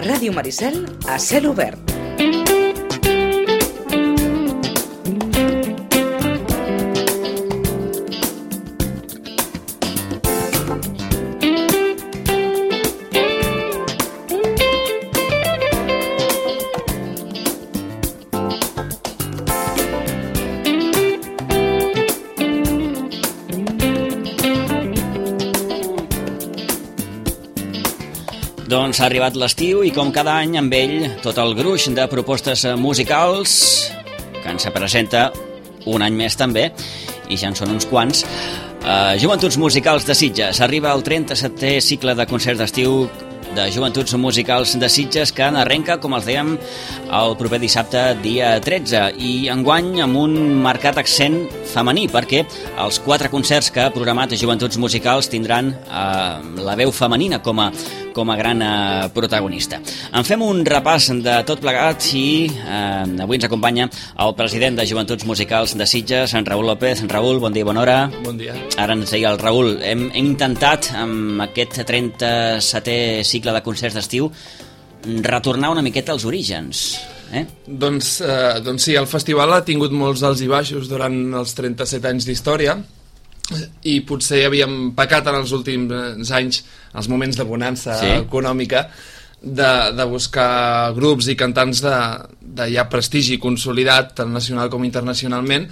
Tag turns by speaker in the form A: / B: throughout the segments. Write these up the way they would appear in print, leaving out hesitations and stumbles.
A: Ràdio Maricel a cel obert.
B: Doncs ha arribat l'estiu i com cada any amb ell tot el gruix de propostes musicals que ens presenta un any més també, i ja en són uns quants. Joventuts Musicals de Sitges. Arriba el 37è cicle de concerts d'estiu de Joventuts Musicals de Sitges, que arrenca, com els dèiem, el proper dissabte, dia 13, i enguany amb un marcat accent femení, perquè els 4 concerts que ha programat Joventuts Musicals tindran la veu femenina com a gran protagonista. En fem un repàs de tot plegat i avui ens acompanya el president de Joventuts Musicals de Sitges, en Raül López. Raül, bon dia, bona hora.
C: Bon dia.
B: Ara ens deia el Raül, hem intentat amb aquest 37è cicle de concerts d'estiu retornar una miqueta als orígens.
C: Doncs sí, el festival ha tingut molts alts i baixos durant els 37 anys d'història, i potser havíem pecat en els últims anys, els moments de bonança econòmica, de buscar grups i cantants de ja prestigi consolidat, tant nacional com internacionalment,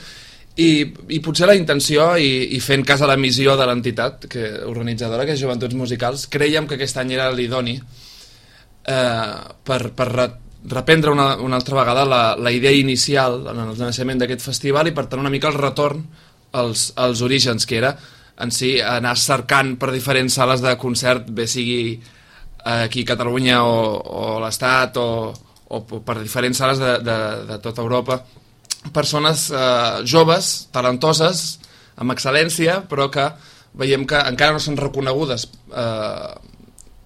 C: i potser la intenció, i fent cas a la missió de l'entitat organitzadora, que és Joventuts Musicals, creiem que aquest any era l'idoni per reprendre una altra vegada la idea inicial en el naixement d'aquest festival, i per tant una mica el retorn als orígens, que era en si anar cercant per diferents sales de concert, bé sigui aquí a Catalunya o a l'Estat o per diferents sales de tota Europa, persones joves, talentoses, amb excel·lència, però que veiem que encara no són reconegudes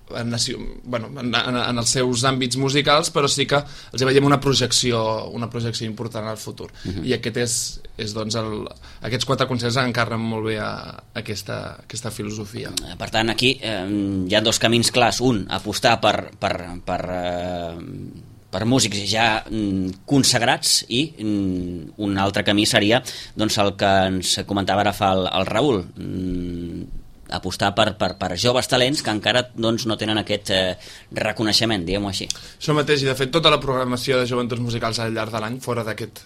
C: en els seus àmbits musicals, però sí que els veiem una projecció important al futur. I aquest és doncs aquests 4 concerts encarnen molt bé aquesta filosofia.
B: Per tant, aquí hi ha 2 camins clars. Un, apostar per músics ja consagrats, i un altre camí seria doncs el que ens comentava ara fa el Raül, apostar per joves talents que encara doncs no tenen aquest reconeixement, diguem-ho així.
C: Això mateix, i de fet tota la programació de Joventuts Musicals al llarg de l'any, fora d'aquest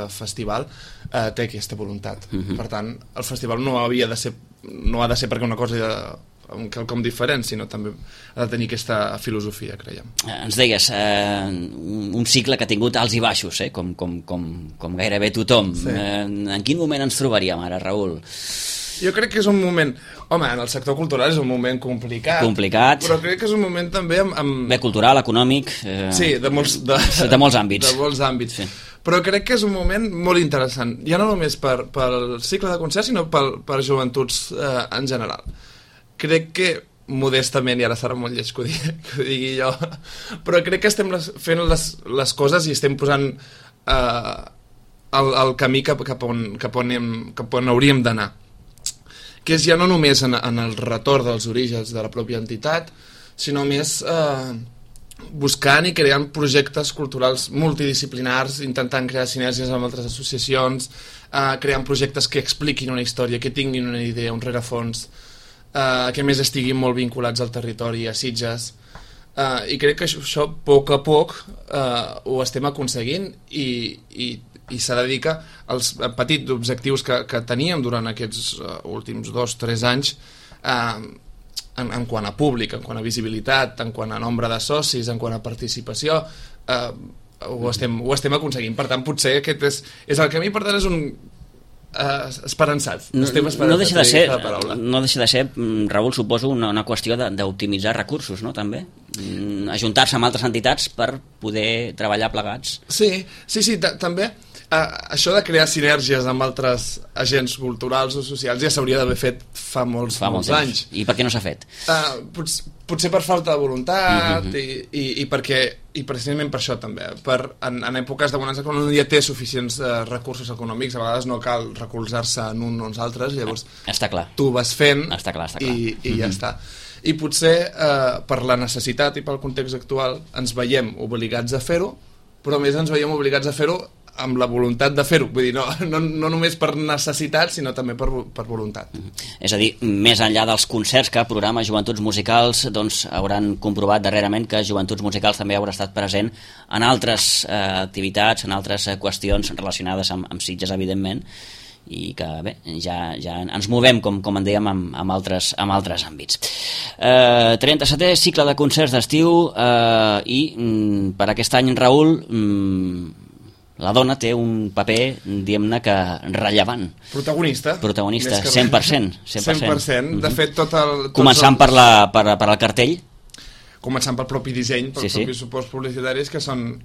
C: festival, té aquesta voluntat. Per tant, el festival no ha de ser perquè una cosa quelcom diferent, sinó també ha de tenir aquesta filosofia, creiem.
B: Ens deies, un cicle que ha tingut alts i baixos, com gairebé tothom. En quin moment ens trobaríem ara, Raül?
C: Jo crec que és un moment... Home, en el sector cultural és un moment complicat. Però crec que és un moment també
B: bé, cultural, econòmic...
C: Sí, de molts
B: àmbits.
C: De molts àmbits. Sí. Però crec que és un moment molt interessant, ja no només pel cicle de concerts, sinó per joventuts en general. Crec que, modestament, i ara serà molt lleig que ho digui jo, però crec que estem fent les coses i estem posant el camí cap on hauríem d'anar, que és ja no només en el retorn dels orígens de la pròpia entitat, sinó més buscant i creant projectes culturals multidisciplinars, intentant crear sinergies amb altres associacions, creant projectes que expliquin una història, que tinguin una idea, un rerefons, que a més estiguin molt vinculats al territori, a Sitges, i crec que això a poc ho estem aconseguint, i s'ha de dir que els petits objectius que teníem durant aquests últims 2-3 anys, en quant a públic, en quant a visibilitat, en quant a nombre de socis, en quant a participació, ho estem aconseguint. Per tant, potser aquest és el camí. Per tant, és un esperançat.
B: No deixa de ser, Raül, suposo, una qüestió d'optimitzar recursos, no?, també? Ajuntar-se amb altres entitats per poder treballar plegats.
C: Sí, també. Això de crear sinergies amb altres agents culturals o socials ja s'hauria d'haver fet fa molts anys.
B: I per què no s'ha fet?
C: Potser per falta de voluntat, i precisament per això també. En èpoques de bonança, quan un ja té suficients recursos econòmics, a vegades no cal recolzar-se en un o uns altres, llavors
B: està clar.
C: Tu vas fent
B: està clar.
C: i ja està. i potser per la necessitat i pel context actual ens veiem obligats a fer-ho, però més ens veiem obligats a fer-ho amb la voluntat de fer-ho, vull dir, no només per necessitat, sinó també per voluntat.
B: És a dir, més enllà dels concerts que programa Joventuts Musicals, doncs hauran comprovat darrerament que Joventuts Musicals també haurà estat present en altres activitats, en altres qüestions relacionades amb Sitges, evidentment, i que bé, ja ens movem, com en dèiem, amb altres àmbits. 37è cicle de concerts d'estiu i per aquest any, Raül, la dona té un paper, diguem-ne, que rellevant.
C: Protagonista.
B: 100%.
C: 100%. De fet,
B: començant per al cartell.
C: Començant pel propi disseny, pels propis suports publicitaris, que són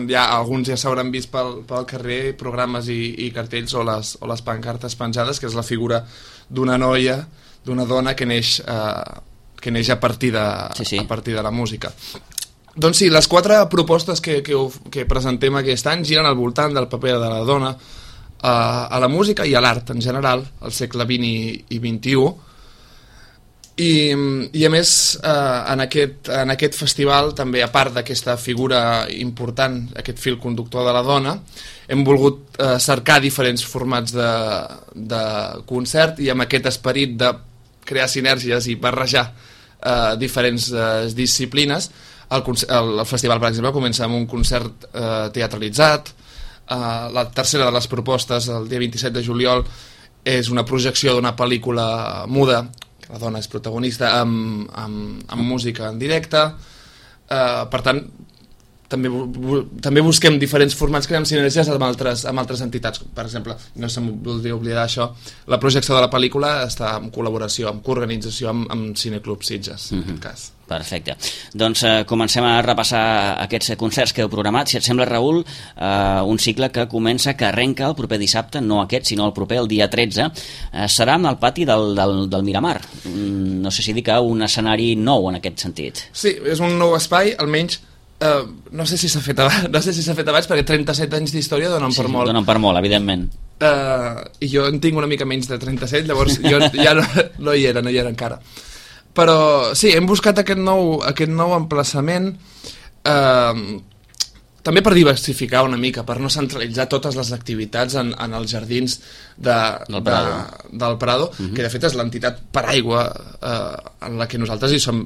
C: ja, alguns ja s'hauran vist pel carrer, programes i cartells o les pancartes penjades, que és la figura d'una noia, d'una dona que neix a partir de la música. Doncs sí, les 4 propostes que presentem aquest any giren al voltant del paper de la dona a la música i a l'art en general, al segle XX i XXI. I a més, en aquest festival, també a part d'aquesta figura important, aquest fil conductor de la dona, hem volgut cercar diferents formats de concert i amb aquest esperit de crear sinergies i barrejar diferents disciplines. El festival, per exemple, comença amb un concert teatralitzat. La tercera de les propostes, el dia 27 de juliol, és una projecció d'una pel·lícula muda, que la dona és protagonista, amb música en directe. Per tant, també busquem diferents formats, creem sinergies amb altres entitats. Per exemple, no se'm voldria oblidar això, la projecció de la pel·lícula està en col·laboració, en coorganització amb Cineclub Sitges, en aquest cas.
B: Perfecte. Doncs comencem a repassar aquests concerts que heu programat. Si et sembla, Raül, un cicle que comença, que arrenca el proper dissabte, no aquest, sinó el proper, el dia 13, serà en el pati del Miramar. No sé si dir que un escenari nou en aquest sentit.
C: Sí, és un nou espai, almenys no sé si s'ha fet abans, perquè 37 anys d'història donen per molt.
B: Donen per molt, evidentment.
C: I jo en tinc una mica menys de 37, llavors jo ja no hi era encara. Però sí, hem buscat aquest nou emplaçament també per diversificar una mica, per no centralitzar totes les activitats en els jardins del Prado, que de fet és l'entitat paraigua en la que nosaltres hi som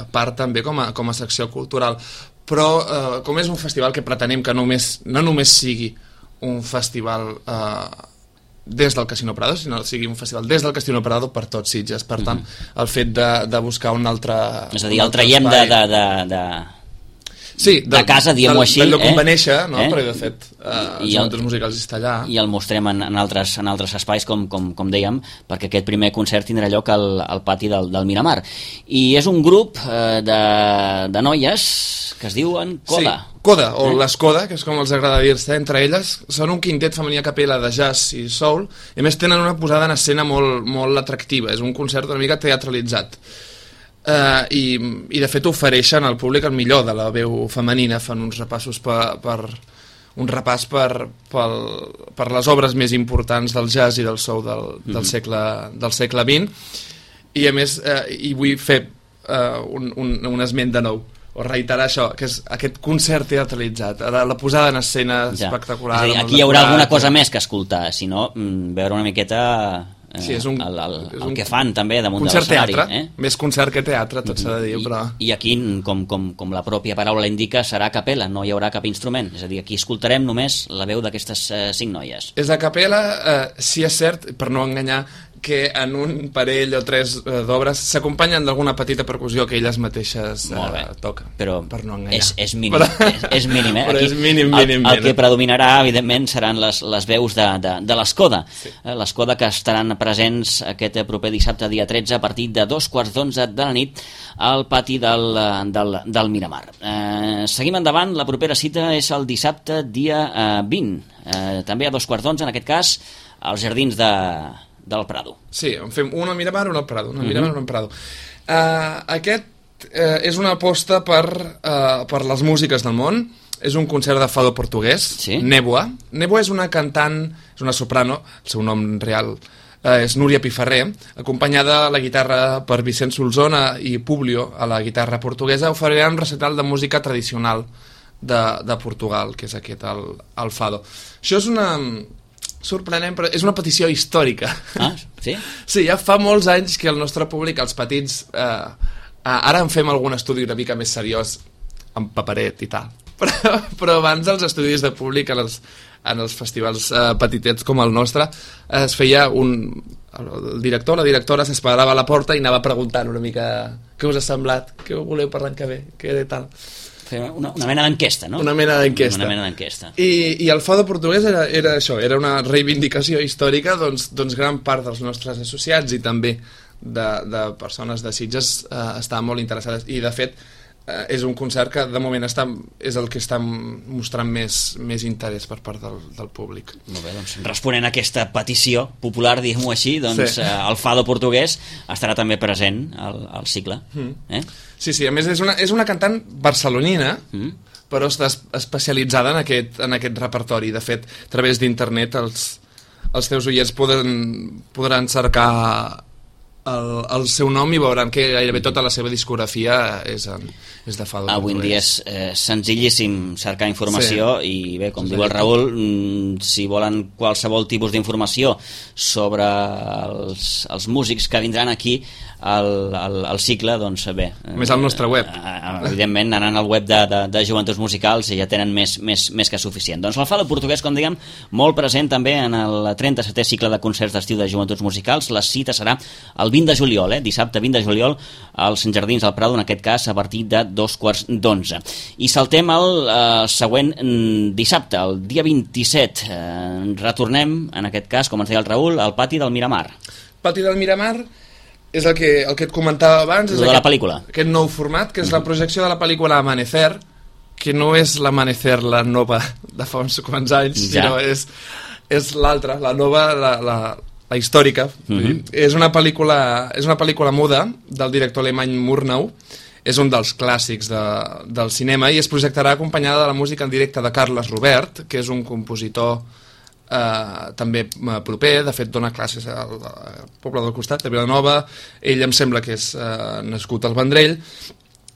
C: part també com a secció cultural. Però com és un festival que pretenem que no només sigui un festival des del Casino Prado, sinó que sigui un festival des del Casino Prado per tots Sitges. Per tant, el fet de buscar un altre...
B: És a dir, el traiem de casa, diguem-ho així.
C: Del lloc on va néixer, no? Perquè de fet els Joventuts Musicals està allà.
B: I el mostrem en altres espais, com dèiem, perquè aquest primer concert tindrà lloc al pati del Miramar. I és un grup de noies que es diuen Coda.
C: Sí, Coda, o les Coda, que és com els agrada dir-se, entre elles. Són un quintet femení a capella de jazz i soul, i a més tenen una posada en escena molt atractiva. És un concert una mica teatralitzat. I de fet ofereixen al públic el millor de la veu femenina, fan uns repassos per les obres més importants del jazz i del soul del segle XX, i a més hi vull fer un esment de nou, o reiterar això, que és aquest concert teatralitzat, la posada en escena espectacular.
B: És a dir, aquí hi haurà alguna cosa més que escoltar, sinó veure una miqueta el que fan també damunt de l'escenari.
C: Concert teatre, més concert que teatre, tot s'ha de dir, però...
B: I aquí, com la pròpia paraula indica, serà a capella, no hi haurà cap instrument, és a dir, aquí escoltarem només la veu d'aquestes 5 noies.
C: És a capella, si és cert, per no enganyar, que en un parell o 3 d'obres s'acompanyen d'alguna petita percussió que elles mateixes toquen.
B: Però
C: per no enganyar.
B: És mínim, és mínim,
C: Però
B: aquí,
C: és mínim.
B: El que predominarà, evidentment, seran les veus de l'Escoda. Sí. L'Escoda, que estaran presents aquest proper dissabte, dia 13, a partir de 11:15 de la nit, al pati del Miramar. Seguim endavant, la propera cita és el dissabte, dia 20. També a 11:15, en aquest cas, als jardins del Prado.
C: Sí, en fem una al Miramar, una al Prado, Miramar, una al Prado. Aquest és una aposta per les músiques del món. És un concert de fado portuguès, sí? Néboa. Néboa és una cantant, és una soprano, el seu nom real és Núria Piferrer, acompanyada a la guitarra per Vicent Solsona i Publio a la guitarra portuguesa, oferirà un recital de música tradicional de Portugal, que és aquest, el Fado. Això és una... sorprenent, però és una petició històrica.
B: Ah, sí?
C: Sí, ja fa molts anys que el nostre públic, els petits, ara en fem algun estudi una mica més seriós, amb paperet i tal, però abans els estudis de públic en els festivals petitets com el nostre es feia el director, la directora s'esperava a la porta i anava preguntant una mica què us ha semblat, què voleu per l'any que ve, què tal.
B: Una mena d'enquesta, no?
C: Una mena d'enquesta.
B: Una mena d'enquesta.
C: I el Fado portuguès era això, era una reivindicació històrica, doncs gran part dels nostres associats i també de persones de Sitges estaven molt interessades, i de fet és un concert que de moment és el que està mostrant més interès per part del públic.
B: Molt bé, doncs responent a aquesta petició popular, diguem-ho així, doncs sí. El Fado portuguès estarà també present al cicle.
C: Sí, a més és una cantant barcelonina, però està especialitzada en aquest repertori. De fet, a través d'internet els teus oients podran cercar el seu nom i veuran que gairebé tota la seva discografia és de Fado.
B: Avui en dia és senzillíssim cercar informació, sí. I bé, com diu el Raül, si volen qualsevol tipus d'informació sobre els músics que vindran aquí al cicle, doncs bé,
C: més al nostre web,
B: evidentment anant al web de Joventuts Musicals i ja tenen més que suficient. Doncs el Fado portuguès, com diguem, molt present també en el 37è cicle de concerts d'estiu de Joventuts Musicals. La cita serà el 20 de juliol, dissabte 20 de juliol als Jardins del Prado, en aquest cas a partir de 11:15. I saltem al següent dissabte, el dia 27. Retornem, en aquest cas, com ens deia el Raül, al Pati del Miramar.
C: Pati del Miramar és el que et comentava abans, és
B: de la pel·lícula.
C: Aquest nou format, que és la projecció de la pel·lícula Amanecer, que no és l'Amanecer, la nova de fa uns quants anys, sinó és l'altra, la nova, la històrica. És una pel·lícula muda del director alemany Murnau, és un dels clàssics del cinema, i es projectarà acompanyada de la música en directe de Carles Robert, que és un compositor també proper, de fet dona classes al poble del costat, de Vilanova. Ell em sembla que és nascut al Vendrell,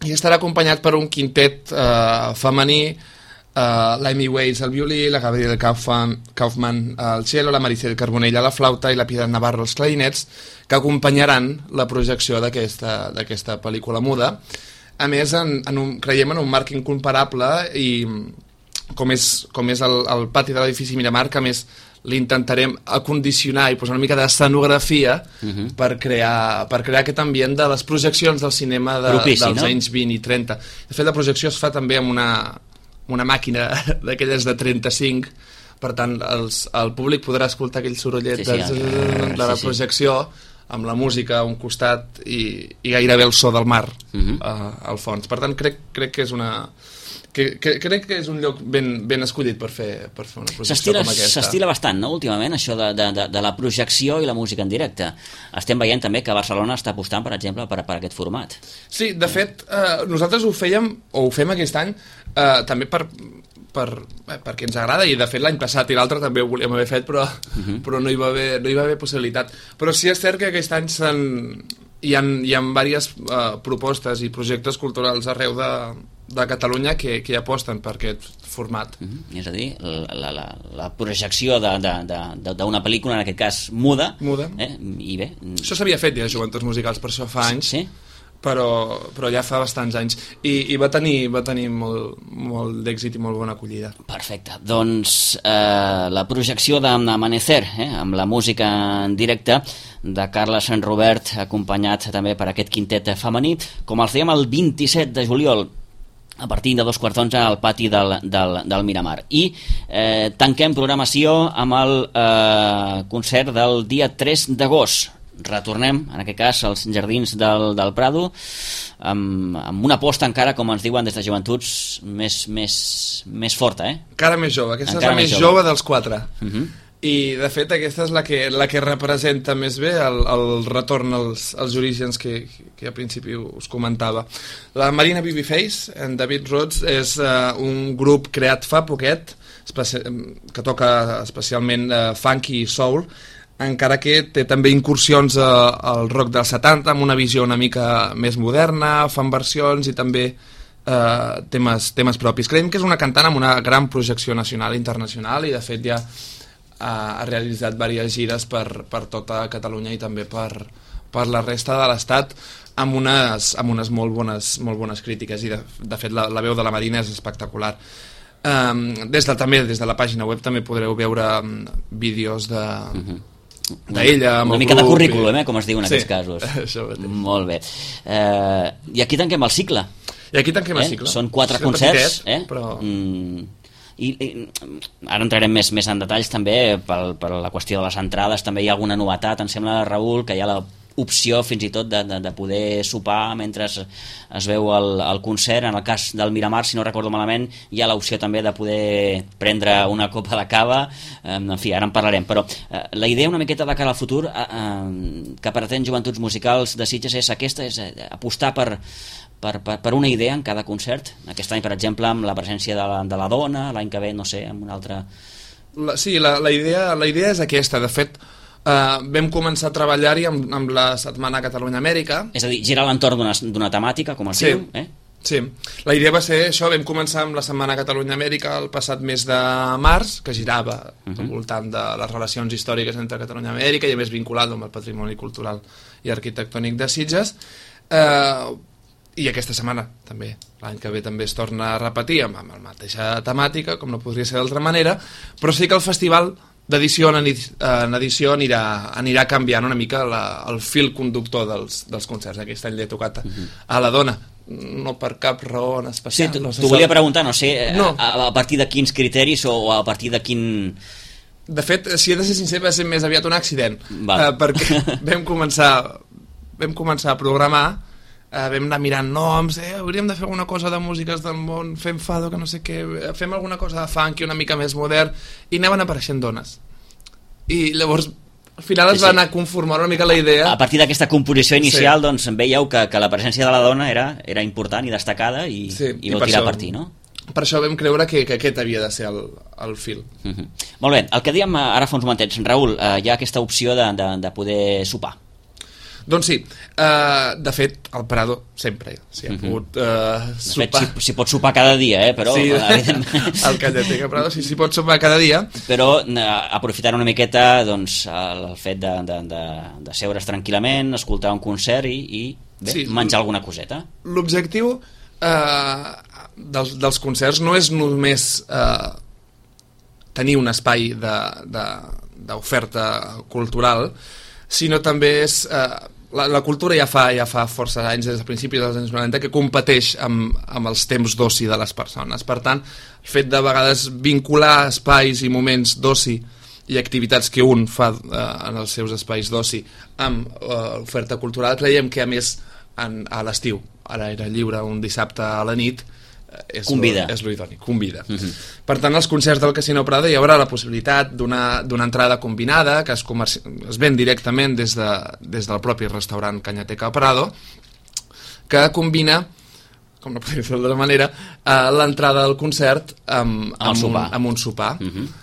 C: i estarà acompanyat per un quintet femení, l'Amy Weiss al violí, la Gabriela Kaufman al cello, la Maricel Carbonell a la flauta i la Piedad Navarro als clarinets, que acompanyaran la projecció d'aquesta pel·lícula muda. A més, creiem en un marc incomparable, i com és el pati de l'edifici Miramar, que a més l'intentarem acondicionar i posar una mica d'escenografia per crear aquest ambient de les projeccions del cinema dels anys 20 i 30. De fet, la projecció es fa també amb una màquina d'aquelles de 35, per tant el públic podrà escoltar aquell sorollet de la projecció amb la música a un costat i gairebé el so del mar al fons. Per tant, crec que és crec que és un lloc ben escollit per fer una projecció com aquesta.
B: S'estila bastant, no?, últimament, això de la projecció i la música en directe. Estem veient també que Barcelona està apostant, per exemple, per aquest format.
C: Sí, de fet, nosaltres ho fem aquest any també perquè ens agrada, i de fet l'any passat i l'altre també ho volíem haver fet, però no hi va haver possibilitat. Però sí és cert que aquest any hi ha diverses propostes i projectes culturals arreu de Catalunya que aposten per aquest format.
B: És a dir, la projecció d'una pel·lícula, en aquest cas muda. I bé,
C: això s'havia fet ja a Joventuts Musicals, per això fa anys, però ja fa bastants anys, i va tenir molt d'èxit i molt bona acollida.
B: Perfecte, doncs la projecció d'Amanecer, amb la música en directe de Carles Robert, acompanyat també per aquest quintet femení, com els dèiem, el 27 de juliol a partir de 11:15 al Pati del Miramar. I tanquem programació amb el concert del dia 3 d'agost. Retornem, en aquest cas, als Jardins del Prado, amb una aposta encara, com ens diuen des de Joventuts, més forta,
C: Encara més jove, aquesta és la més jove dels quatre. I de fet aquesta és la que representa més bé el retorn als orígens que a principi us comentava. La Marina Babyface, en David Rhodes, és un grup creat fa poquet que toca especialment funky i soul, encara que té també incursions al rock dels 70 amb una visió una mica més moderna, fan versions i també temes propis. Creiem que és una cantant amb una gran projecció nacional i internacional i de fet ja ha realitzat diverses gires per tota Catalunya i també per la resta de l'Estat amb unes molt bones crítiques i de fet la veu de la Marina és espectacular. També des de la pàgina web també podreu veure vídeos d'ella
B: una mica de currículum, com es diu en aquests casos.
C: Això mateix.
B: Molt bé. I aquí tanquem el cicle.
C: I aquí tanquem el cicle.
B: Són 4 concerts,
C: però...
B: I ara entrarem més en detalls també per la qüestió de les entrades. També hi ha alguna novetat, em sembla, Raül, que hi ha l'opció fins i tot de poder sopar mentre es veu el concert. En el cas del Miramar, si no recordo malament, hi ha l'opció també de poder prendre una copa de cava. En fi, ara en parlarem, però la idea una miqueta de cara al futur que pretén Joventuts Musicals de Sitges és aquesta, és apostar per una idea en cada concert. Aquest any, per exemple, amb la presència de la dona, l'any que ve, no sé, amb una altra...
C: Sí, la idea és aquesta. De fet, vam començar a treballar-hi amb la Setmana Catalunya-Amèrica.
B: És a dir, girar a l'entorn d'una temàtica, com es diu.
C: Sí, la idea va ser això. Vam començar amb la Setmana Catalunya-Amèrica el passat mes de març, que girava al voltant de les relacions històriques entre Catalunya i Amèrica i a més vinculat amb el patrimoni cultural i arquitectònic de Sitges. I aquesta setmana també, l'any que ve també es torna a repetir amb la mateixa temàtica, com no podria ser d'altra manera, però sí que el festival d'edició en edició anirà canviant una mica el fil conductor dels concerts. Aquest any l'he tocat a la dona, no per cap raó en especial.
B: Sí, t'ho volia preguntar, no sé, a partir de quins criteris o a partir de quin...
C: De fet, si he de ser sincer, va ser més aviat un accident, perquè vam començar a programar. Vam anar mirant noms, hauríem de fer alguna cosa de músiques del món, fem fado, que no sé què, fem alguna cosa de funky una mica més modern, i anaven apareixent dones. I llavors, al final es va anar conformant una mica la idea.
B: A partir d'aquesta composició inicial, doncs veieu que la presència de la dona era important i destacada i vau tirar a partir, no?
C: Per això vam creure que aquest havia de ser el fil.
B: Molt bé, el que dèiem ara fa uns momentets, Raül, hi ha aquesta opció de poder sopar.
C: Doncs sí, de fet, al Prado sempre s'hi ha pogut sopar.
B: De fet, s'hi pot sopar cada dia, però...
C: Sí, al Callateca Prado s'hi pot sopar cada dia.
B: Però aprofitant una miqueta doncs, el fet de seure's tranquil·lament, escoltar un concert i menjar alguna coseta.
C: L'objectiu dels concerts no és només tenir un espai d'oferta cultural, sinó també és... La cultura ja fa força anys, des de principis dels anys 90, que competeix amb els temps d'oci de les persones. Per tant, el fet de vegades vincular espais i moments d'oci i activitats que un fa en els seus espais d'oci amb oferta cultural, creiem que a més a l'estiu, ara era lliure un dissabte a la nit, és lo idoni, convida. Per tant, als concerts del Casino Prado hi haurà la possibilitat d'una entrada combinada que es ven directament des del propi restaurant Cañateca Prado, que combina, com no podria ser d'altra manera, l'entrada del concert amb un sopar.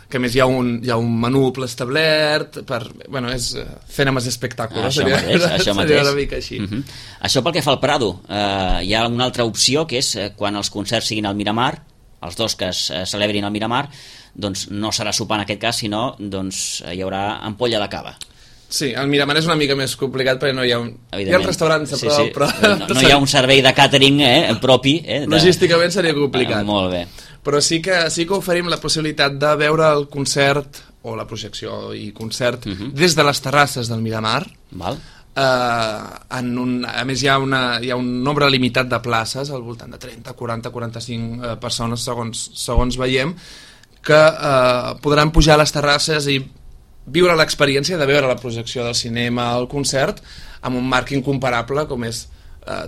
C: Que a més hi ha un menú preestablert és fent amb els espectacles.
B: Això mateix.
C: Seria una mica així.
B: Això pel que fa al Prado, hi ha una altra opció, que és quan els concerts siguin al Miramar, els dos que es celebrin al Miramar, doncs no serà sopar en aquest cas, sinó doncs hi haurà ampolla de cava.
C: Sí, el Miramar és una mica més complicat perquè no hi ha hi ha el restaurant a prop, però...
B: No hi ha un servei de càtering propi.
C: Logísticament seria complicat.
B: Molt bé.
C: Però sí que oferim la possibilitat de veure el concert, o la projecció i concert, des de les terrasses del Miramar.
B: Val.
C: A més hi ha un nombre limitat de places, al voltant de 30, 40, 45 persones, segons veiem, que podran pujar a les terrasses i viure l'experiència de veure la projecció del cinema, el concert, amb un marc incomparable com és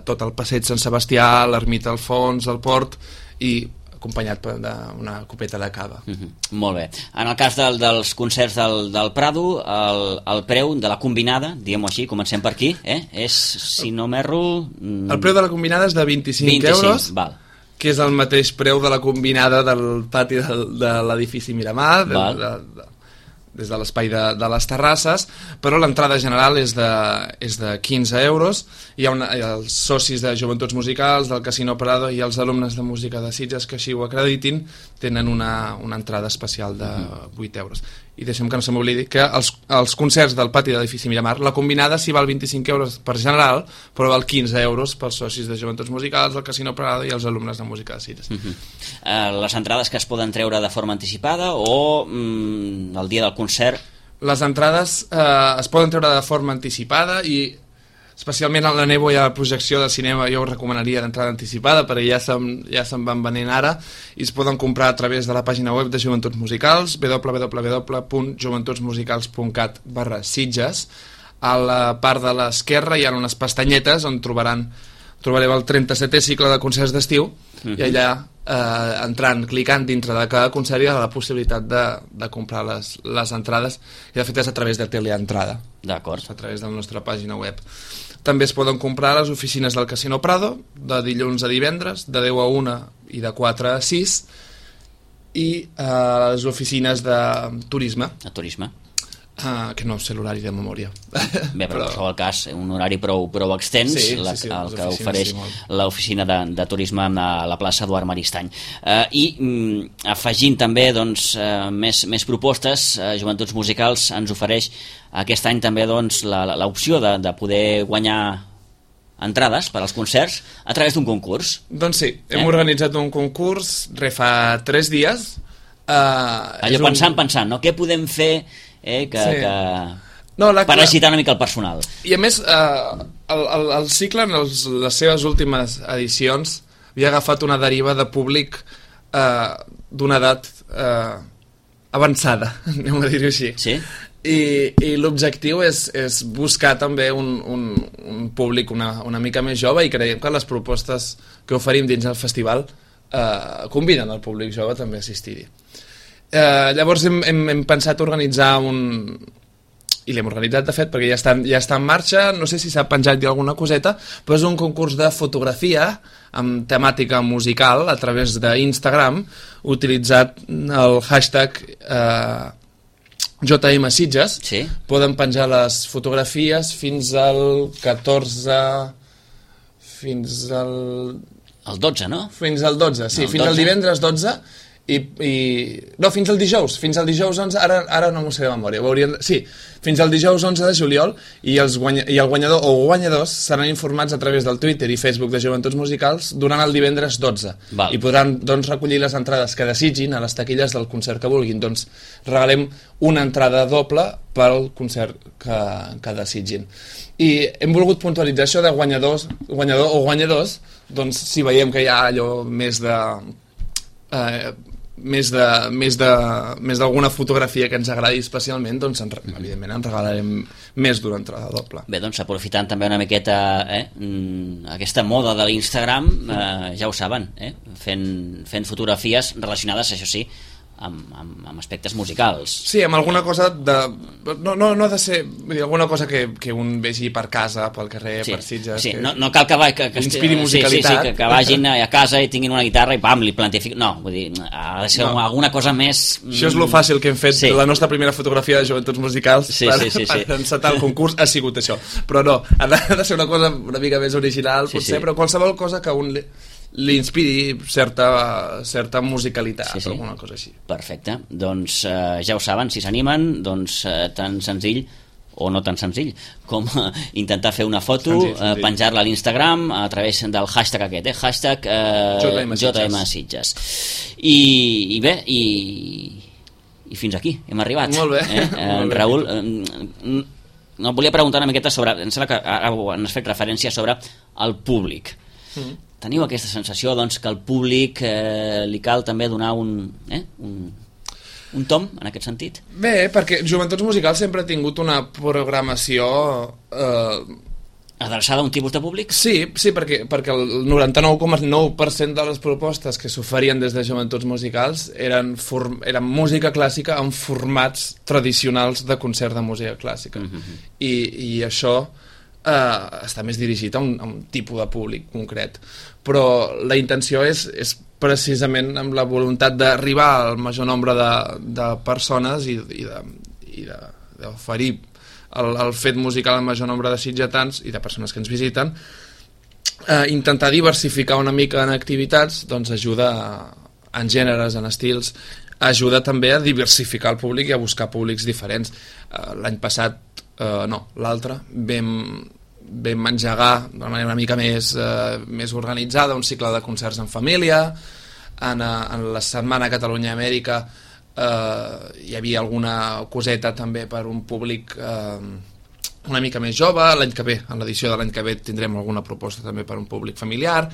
C: tot el passeig Sant Sebastià, l'ermita al fons, el port, i acompanyat d'una copeta de cava.
B: Molt bé. En el cas dels concerts del Prado, el preu de la combinada, diguem-ho així, comencem per aquí, és, si no m'erro...
C: El preu de la combinada és de 25 euros,
B: val.
C: Que és el mateix preu de la combinada del pati de l'edifici Miramar, des de l'espai de les terrasses, però l'entrada general és de 15 euros. Hi ha els socis de Joventuts Musicals, del Casino Prado i els alumnes de música de Sitges que així ho acreditin tenen una entrada especial de 8 euros. I deixem que no se m'oblidi que els concerts del pati de l'edifici Miramar, la combinada s'hi val 25 euros per general, però val 15 euros pels socis de Joventuts Musicals, el Casino Prado i els alumnes de música de Sitges.
B: Les entrades que es poden treure de forma anticipada o el dia del concert?
C: Les entrades es poden treure de forma anticipada i especialment a la Nebo hi ha projecció de cinema, jo ho recomanaria d'entrada anticipada perquè ja se'n van venent ara i es poden comprar a través de la pàgina web de Joventuts Musicals, www.joventutsmusicals.cat/Sitges. A la part de l'esquerra hi ha unes pestanyetes on trobareu el 37è cicle de concerts d'estiu i allà entrant, clicant dintre de cada concert hi ha la possibilitat de comprar les entrades i de fet és a través de Teleentrada.
B: D'acord.
C: A través de la nostra pàgina web. També es poden comprar a les oficines del Casino Prado de dilluns a divendres, de 10 a 1 i de 4 a 6 i a les oficines de turisme.
B: A turisme.
C: Que no sé l'horari de memòria.
B: Bé, però en qualsevol cas, un horari prou extens, el que ofereix l'oficina de turisme a la plaça Eduard Maristany. I afegint també més propostes, Joventuts Musicals ens ofereix aquest any també l'opció de poder guanyar entrades per als concerts a través d'un concurs.
C: Doncs sí, hem organitzat un concurs fa 3 dies.
B: Allò pensant, no? Què podem fer per agitar una mica el personal?
C: I a més el cicle en les seves últimes edicions havia agafat una deriva de públic d'una edat avançada, anem a dir-ho així.
B: Sí?
C: I l'objectiu és buscar també un públic una mica més jove i creiem que les propostes que oferim dins el festival conviden el públic jove també a assistir-hi. Llavors hem pensat organitzar i l'hem organitzat de fet perquè ja està en marxa, no sé si s'ha penjat alguna coseta, però és un concurs de fotografia amb temàtica musical a través d'Instagram utilitzat el hashtag JM Sitges.
B: Sí.
C: Poden penjar les fotografies fins al 14 fins al...
B: El 12, no?
C: Fins al 12, sí, fins al divendres 12 no, fins al dijous 11, ara no m'ho sé de memòria, sí, fins al dijous 11 de juliol i el guanyador o guanyadors seran informats a través del Twitter i Facebook de Joventuts Musicals durant el divendres 12.
B: Val.
C: I podran recollir les entrades que desitgin a les taquilles del concert que vulguin. Doncs regalem una entrada doble pel concert que desitgin. I hem volgut puntualitzar això de guanyador o guanyadors, doncs si veiem que hi ha allò més d'alguna fotografia que ens agradi especialment, doncs evidentment en regalarem més d'una entrada doble.
B: Bé, doncs aprofitant també una miqueta aquesta moda de l'Instagram, ja ho saben, fent fotografies relacionades, això sí, amb aspectes musicals.
C: Sí, amb alguna cosa no ha de ser, vull dir, alguna cosa que un vegi per casa, pel carrer, per Sitges.
B: Sí, no cal que
C: inspiri musicalitat.
B: Sí, que vagin a casa i tinguin una guitarra i pam, li plantifiquen. No, vull dir, ha de ser alguna cosa més...
C: Això és lo fàcil que hem fet. La nostra primera fotografia de Joventuts Musicals per encetar el concurs ha sigut això. Però no, ha de ser una cosa una mica més original, potser, però qualsevol cosa que un li inspiri certa musicalitat, alguna cosa així.
B: Perfecte, doncs ja ho saben, si s'animen, doncs tan senzill o no tan senzill com intentar fer una foto, penjar-la a l'Instagram a través del hashtag aquest, hashtag JM Sitges. I bé, i fins aquí hem arribat.
C: Molt bé.
B: Raül, no, volia preguntar una miqueta sobre, em sembla que ara has fet referència sobre el públic. Teniu aquesta sensació que al públic li cal també donar un tom en aquest sentit?
C: Bé, perquè Joventuts Musicals sempre ha tingut una programació
B: adreçada a un tipus de públic?
C: Sí, perquè el 99,9% de les propostes que s'oferien des de Joventuts Musicals eren música clàssica en formats tradicionals de concert de música clàssica. I això està més dirigit a un tipus de públic concret, però la intenció és precisament amb la voluntat d'arribar al major nombre de persones i d'oferir el fet musical al major nombre de sitgetans i de persones que ens visiten. Intentar diversificar una mica en activitats doncs ajuda en gèneres, en estils, ajuda també a diversificar el públic i a buscar públics diferents. L'any passat, l'altre, vam engegar d'una manera una mica més organitzada un cicle de concerts en família. En la setmana Catalunya-Amèrica hi havia alguna coseta també per un públic una mica més jove. L'any que ve, en l'edició de l'any que ve, tindrem alguna proposta també per un públic familiar,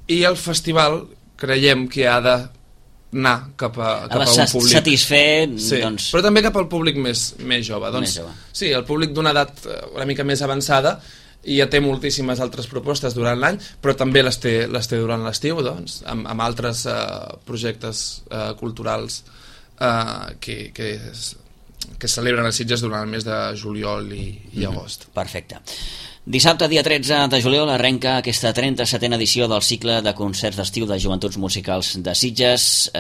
C: i el festival creiem que ha d'anar cap a un públic
B: satisfer,
C: sí,
B: doncs...
C: però també cap al públic més jove, doncs,
B: més jove.
C: Sí, el públic d'una edat una mica més avançada i ja té moltíssimes altres propostes durant l'any, però també les té durant l'estiu, doncs, amb altres projectes culturals que celebren a Sitges durant el mes de juliol i agost.
B: Perfecte. Dissabte, dia 13 de juliol, arrenca aquesta 37a edició del cicle de concerts d'estiu de Joventuts Musicals de Sitges.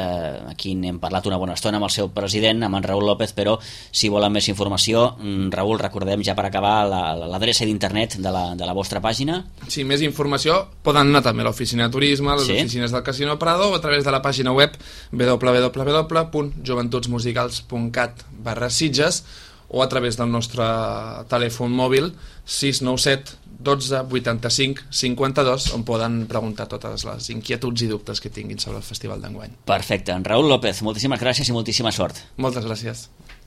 B: Aquí n'hem parlat una bona estona amb el seu president, amb en Raül López, però si volen més informació, Raül, recordem ja per acabar l'adreça d'internet de la vostra pàgina.
C: Sí, més informació poden anar també a l'oficina de turisme, a les oficines del Casino Prado, o a través de la pàgina web www.joventutmusicals.cat/Sitges, o a través del nostre telèfon mòbil 697 12 85 52, on poden preguntar totes les inquietuds i dubtes que tinguin sobre el festival d'enguany.
B: Perfecte. En Raül López, moltíssimes gràcies i moltíssima sort.
C: Moltes gràcies.